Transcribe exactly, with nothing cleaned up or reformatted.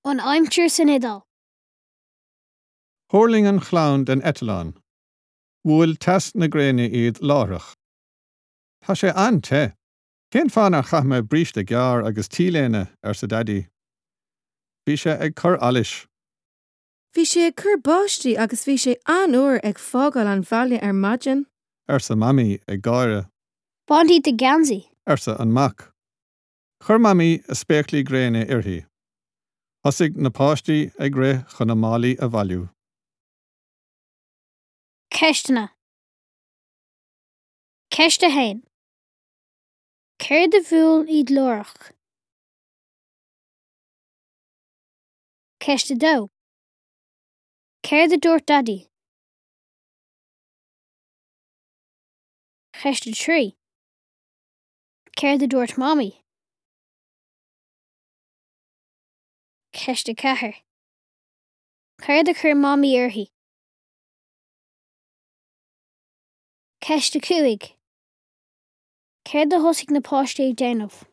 An aimsir san Iodáil. Thuirling an chlann den eitleán. Bhuail teas na gréine iad láithreach. Tá sé an-te. Cén fáth nár chaith mé bríste gearr agus T-léine arsa Daidí. Bhí sé ag cur allais. Bhí sé ag cur báistí agus bhí sé an-fhuar ag fágáil an bhaile ar maidin. arsa Mamaí ag gáire. Bain díot do gheansaí. arsa an mac. Chuir Mamaí a spéaclaí gréine uirthi. Thosaigh na páistí ag rith chun a málaí a bhailiú. Ceisteanna. Ceist a haon. Céard a bhuail iad láithreach? Ceist a dó. Céard a dúirt Daidí? Ceist a trí. Céard a dúirt Mamaí? Ceist a ceathair. Céard a chuir Mamaí uirthi? Ceist a cúig. Céard a thosaigh na páistí ag déanamh?